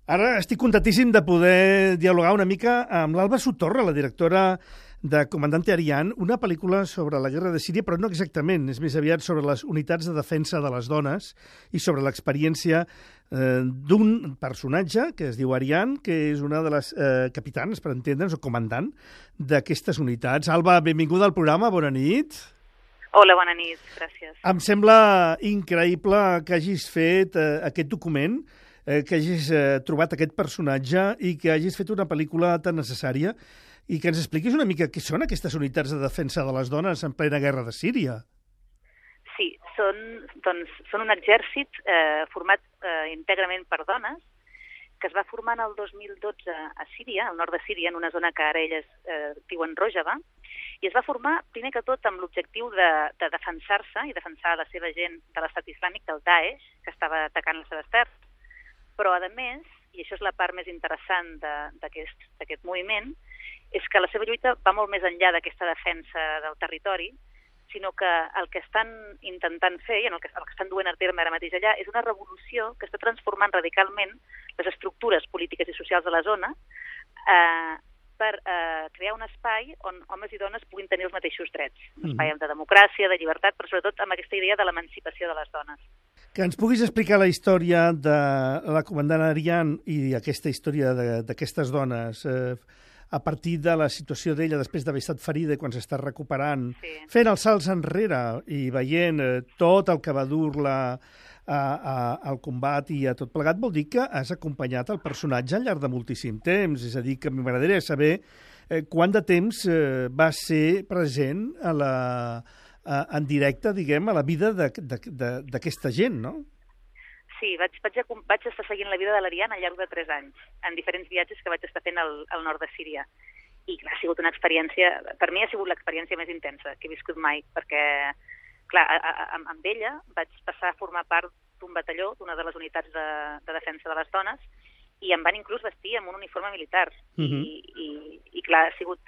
Ara estic contentíssim de poder dialogar una mica amb l'Alba Sotorra, la directora de Comandante Ariane, una pel·lícula sobre la guerra de Síria, però no exactament, és més aviat sobre les unitats de defensa de les dones i sobre l'experiència d'un personatge que es diu Ariane, que és una de les capitanes, per entendre'ns, o comandant d'aquestes unitats. Alba, benvinguda al programa, bona nit. Hola, bona nit, gràcies. Em sembla increïble que hagis fet aquest document, que hagis trobat aquest personatge i que hagis fet una pel·lícula tan necessària i que ens expliquis una mica què són aquestes unitats de defensa de les dones en plena guerra de Síria. Sí, són un exèrcit format íntegrament per dones que es va formar el 2012 a Síria, al nord de Síria, en una zona que ara elles diuen Rojava, i es va formar, primer que tot, amb l'objectiu de defensar-se i defensar la seva gent de l'estat islàmic, del Daesh, que estava atacant les seves terres. Però, a més, i això és la part més interessant d'aquest moviment, és que la seva lluita va molt més enllà d'aquesta defensa del territori, sinó que el que estan intentant fer, i el que estan duent a terme ara mateix allà, és una revolució que està transformant radicalment les estructures polítiques i socials de la zona per crear un espai on homes i dones puguin tenir els mateixos drets. Un espai de democràcia, de llibertat, però sobretot amb aquesta idea de l'emancipació de les dones. Que ens puguis explicar la història de la comandant Ariane i aquesta història d'aquestes dones a partir de la situació d'ella després d'haver estat ferida i quan s'està recuperant, fent els salts enrere i veient tot el que va dur-la al combat i a tot plegat, vol dir que has acompanyat el personatge al llarg de moltíssim temps. És a dir, que m'agradaria saber quant de temps va ser present en directe, diguem, a la vida d'aquesta gent, no? Sí, vaig estar seguint la vida de l'Ariane al llarg de 3 anys, en diferents viatges que vaig estar fent al nord de Síria. I clar, ha sigut una experiència, per mi ha sigut l'experiència més intensa que he viscut mai, perquè clar, amb ella vaig passar a formar part d'un batalló, d'una de les unitats de defensa de les dones, i em van inclús vestir amb un uniforme militar. I clar, ha sigut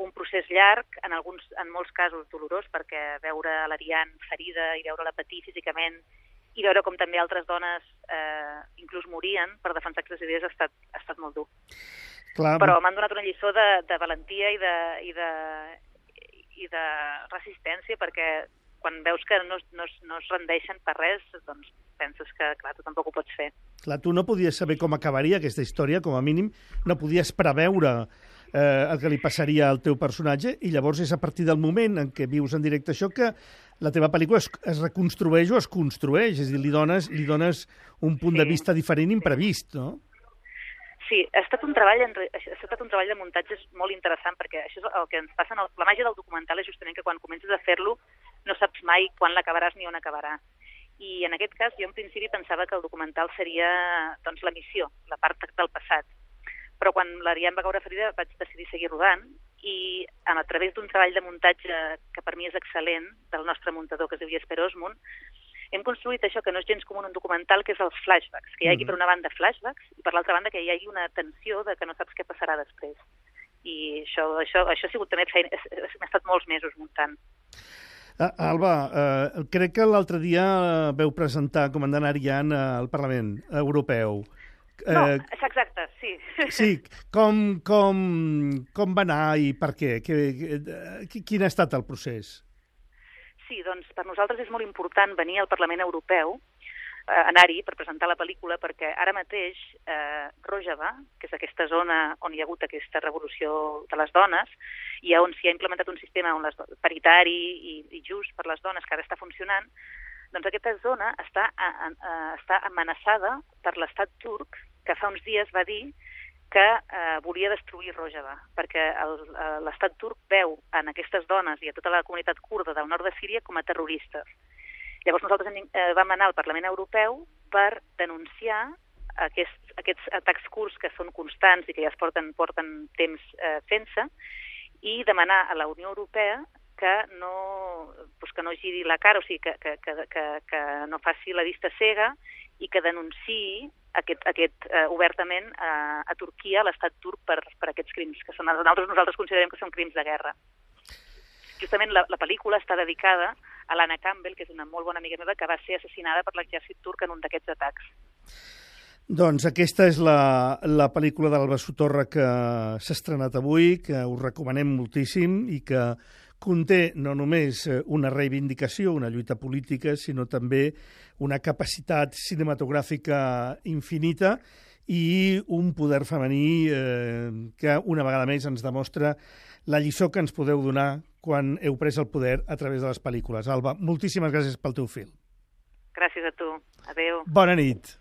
un procés llarg, en molts casos dolorós, perquè veure l'Ariane ferida i veure-la patir físicament i veure com també altres dones inclús morien per defensar aquestes idees ha estat molt dur. Clar. Però m'han donat una lliçó de valentia i de resistència, perquè quan veus que no es rendeixen per res, doncs penses que, clar, tu tampoc ho pots fer. Clar, tu no podies saber com acabaria aquesta història, com a mínim no podies preveure el que li passaria al teu personatge, i llavors és a partir del moment en què vius en directe això que la teva pel·lícula es reconstrueix o es construeix, és a dir, li dones un punt de vista diferent, imprevist, no? Sí, ha estat un treball de muntatges molt interessant, perquè això és el que ens passa. La màgia del documental és justament que quan comences a fer-lo no saps mai quan l'acabaràs ni on acabarà. I en aquest cas jo en principi pensava que el documental seria doncs, la missió, la part del passat. Però quan l'Ariane va caure ferida vaig decidir seguir rodant i a través d'un treball de muntatge que per mi és excel·lent, del nostre muntador que es diu Jesper Osmund, hem construït això que no és gens comú en un documental, que és els flashbacks, que hi hagi per una banda flashbacks i per l'altra banda que hi hagi una tensió de que no saps què passarà després. I això ha sigut també feina, m'ha estat molts mesos muntant. Alba, crec que l'altre dia veu presentar Comandant Ariane al Parlament Europeu. No, exacte, sí. Sí, com va anar i per què? Quin ha estat el procés? Sí, doncs per nosaltres és molt important venir al Parlament Europeu, anar-hi per presentar la pel·lícula, perquè ara mateix Rojava, que és aquesta zona on hi ha hagut aquesta revolució de les dones, i on s'hi ha implementat un sistema paritari i just per les dones que ara està funcionant, doncs aquesta zona està amenaçada per l'estat turc, que fa uns dies va dir que volia destruir Rojava, perquè l'estat turc veu en aquestes dones i a tota la comunitat kurda del nord de Síria com a terroristes. Llavors nosaltres vam anar al Parlament Europeu per denunciar aquests atacs kurds que són constants i que ja porten temps fent-se, i demanar a la Unió Europea que no giri la cara, o sigui, que no faci la vista cega i que denunciï obertament a Turquia, a l'estat turc, per aquests crims, que nosaltres considerem que són crims de guerra. Justament la pel·lícula està dedicada a l'Anna Campbell, que és una molt bona amiga meva, que va ser assassinada per l'exèrcit turc en un d'aquests atacs. Doncs aquesta és la pel·lícula d'Alba Sotorra que s'ha estrenat avui, que us recomanem moltíssim i que conté no només una reivindicació, una lluita política, sinó també una capacitat cinematogràfica infinita i un poder femení que una vegada més ens demostra la lliçó que ens podeu donar quan heu pres el poder a través de les pel·lícules. Alba, moltíssimes gràcies pel teu fil. Gràcies a tu. Adéu. Bona nit.